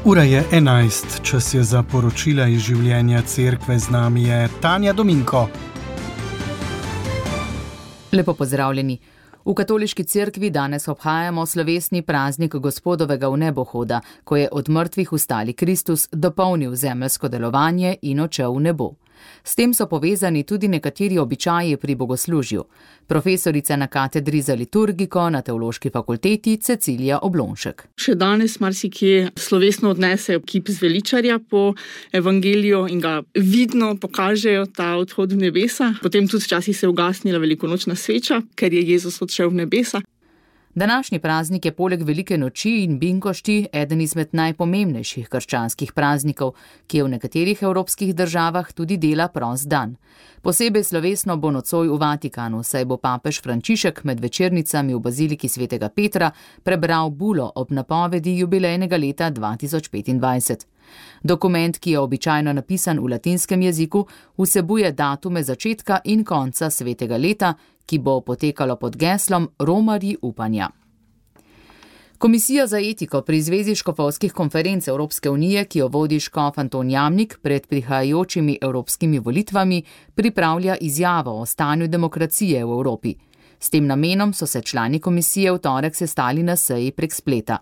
Ura je 11, čas je za poročila iz življenja cerkve, z nami je Tanja Dominko. Lepo pozdravljeni. V katoliški cerkvi danes obhajamo slovesni praznik Gospodovega vnebohoda, ko je od mrtvih vstali Kristus dopolnil zemeljsko delovanje in odšel v nebo. S tem so povezani tudi nekateri običaji pri bogoslužju. Profesorica na katedri za liturgiko na Teološki fakulteti Cecilija Oblonšek. Še danes marsikje slovesno odnesejo kip zveličarja po evangeliju in ga vidno pokažejo ta odhod v nebesa. Potem tudi včasih se je ugasnila velikonočna sveča, ker je Jezus odšel v nebesa. Današnji praznik je poleg velike noči in binkošti eden izmed najpomembnejših krščanskih praznikov, ki je v nekaterih evropskih državah tudi dela prost dan. Posebej slovesno bo nocoj v Vatikanu, saj bo papež Frančišek med večernicami v baziliki svetega Petra prebral bulo ob napovedi jubilejnega leta 2025. Dokument, ki je običajno napisan v latinskem jeziku, vsebuje datume začetka in konca svetega leta, ki bo potekalo pod geslom Romarji upanja. Komisija za etiko pri Zvezi škofovskih konferenc Evropske unije, ki jo vodi škof Anton Jamnik, pred prihajajočimi evropskimi volitvami pripravlja izjavo o stanju demokracije v Evropi. S tem namenom so se člani komisije v torek sestali na seji prek spleta.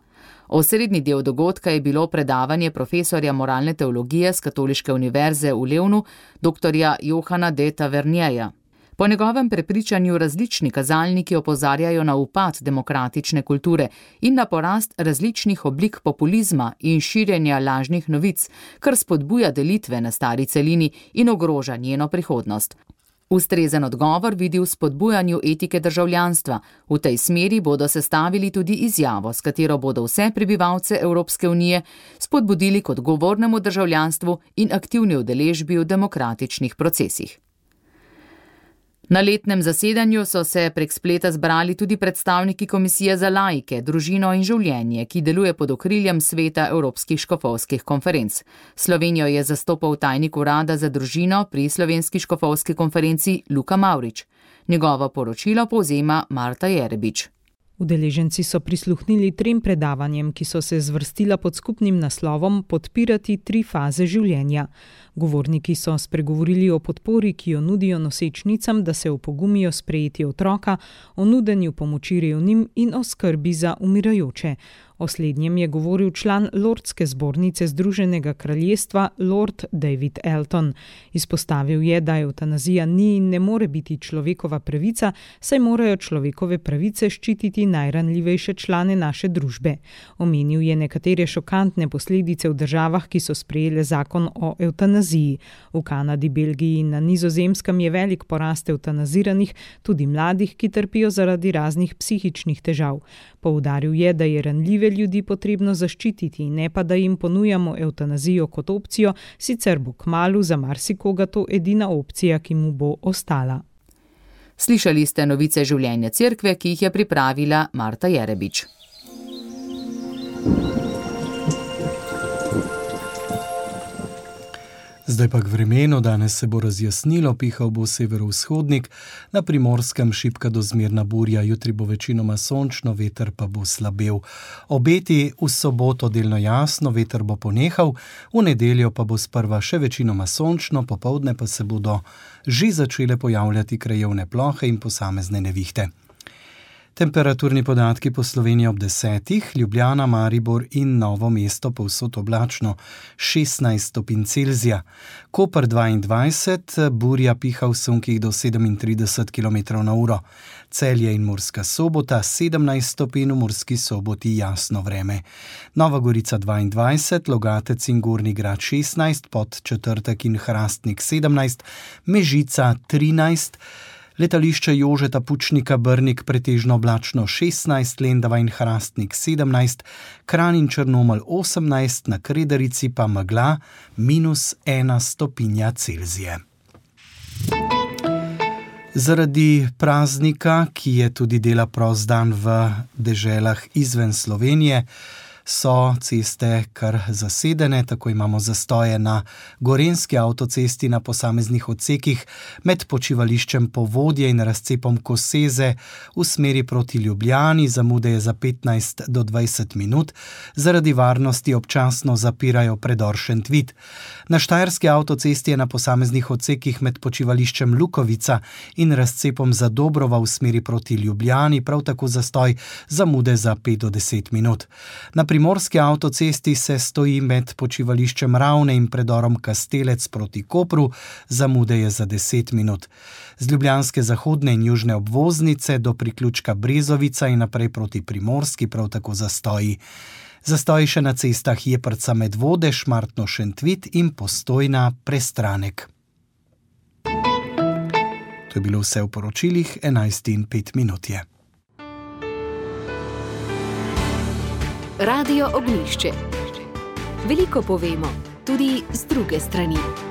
Osrednji del dogodka je bilo predavanje profesorja moralne teologije z Katoliške univerze v Levnu, dr. Johana de Tavernjeja. Po njegovem prepričanju različni kazalniki opozarjajo na upad demokratične kulture in na porast različnih oblik populizma in širjenja lažnih novic, kar spodbuja delitve na stari celini in ogroža njeno prihodnost. Ustrezen odgovor vidi v spodbujanju etike državljanstva. V tej smeri bodo sestavili tudi izjavo, s katero bodo vse prebivalce Evropske unije spodbudili k odgovornemu državljanstvu in aktivni udeležbi v demokratičnih procesih. Na letnem zasedanju so se prek spleta zbrali tudi predstavniki Komisije za laike, družino in življenje, ki deluje pod okriljem Sveta Evropskih škofovskih konferenc. Slovenijo je zastopal tajnik urada za družino pri Slovenski škofovski konferenci Luka Mavrič. Njegovo poročilo povzema Marta Jerebič. Udeleženci so prisluhnili 3 predavanjem, ki so se zvrstila pod skupnim naslovom Podpirati 3 faze življenja. Govorniki so spregovorili o podpori, ki jo nudijo nosečnicam, da se opogumijo sprejeti otroka, o nudenju pomoči revnim in o skrbi za umirajoče. O slednjem je govoril član Lordske zbornice Združenega kraljestva Lord David Elton. Izpostavil je, da evtanazija ni in ne more biti človekova pravica, saj morajo človekove pravice ščititi najranljivejše člane naše družbe. Omenil je nekatere šokantne posledice v državah, ki so sprejele zakon o evtanaziji. V Kanadi, Belgiji in na Nizozemskem je velik porast evtanaziranih, tudi mladih, ki trpijo zaradi raznih psihičnih težav. Poudaril je, da je ranljive ljudi potrebno zaščititi, ne pa da jim ponujamo evtanazijo kot opcijo, sicer bo kmalu za marsikoga to edina opcija, ki mu bo ostala. Slišali ste novice življenja cerkve, ki jih je pripravila Marta Jerebič. Zdaj pa k vremenu, danes se bo razjasnilo, pihal bo severovzhodnik, na Primorskem šibka do zmerna burja, jutri bo večinoma sončno, veter pa bo slabel. Obeti v soboto delno jasno, veter bo ponehal, v nedeljo pa bo sprva še večinoma sončno, popoldne pa se bodo že začele pojavljati krajevne plohe in posamezne nevihte. Temperaturni podatki po Sloveniji ob 10, Ljubljana, Maribor in Novo mesto povsod oblačno 16 stopinj Celzija, Koper 22, burja piha v sunkih do 37 km/h, Celje in Murska Sobota 17 stopinj, v Murski Soboti jasno vreme, Nova Gorica 22, Logatec in Gornji Grad 16, Podčetrtek in Hrastnik 17, Mežica 13, Letališče Jožeta Pučnika Brnik pretežno oblačno 16, Lendava in Hrastnik 17, Kranj in Črnomelj 18, na Kredarici pa megla -1 stopinja Celzije. Zaradi praznika, ki je tudi dela prost dan v deželah izven Slovenije, so ceste kar zasedene, tako imamo zastoje na Gorenjski avtocesti na posameznih odsekih med počivališčem Povodje in razcepom Koseze v smeri proti Ljubljani, zamude je za 15 do 20 minut, zaradi varnosti občasno zapirajo predor Šentvid. Na Štajerski avtocesti je na posameznih odsekih med počivališčem Lukovica in razcepom Zadobrova v smeri proti Ljubljani, prav tako zastoj, zamude za 5 do 10 minut. Na Primorski avtocesti se stoji med počivališčem Ravne in predorom Kastelec proti Kopru, zamude je za 10 minut. Z ljubljanske zahodne in južne obvoznice do priključka Brezovica in naprej proti Primorski prav tako zastoji. Zastoji še na cestah Jeprca Medvode, Šmartno Šentvid in Postojna Prestranek. To je bilo vse v poročilih, 11:05 je. Radio Ognjišče. Veliko povemo, tudi z druge strani.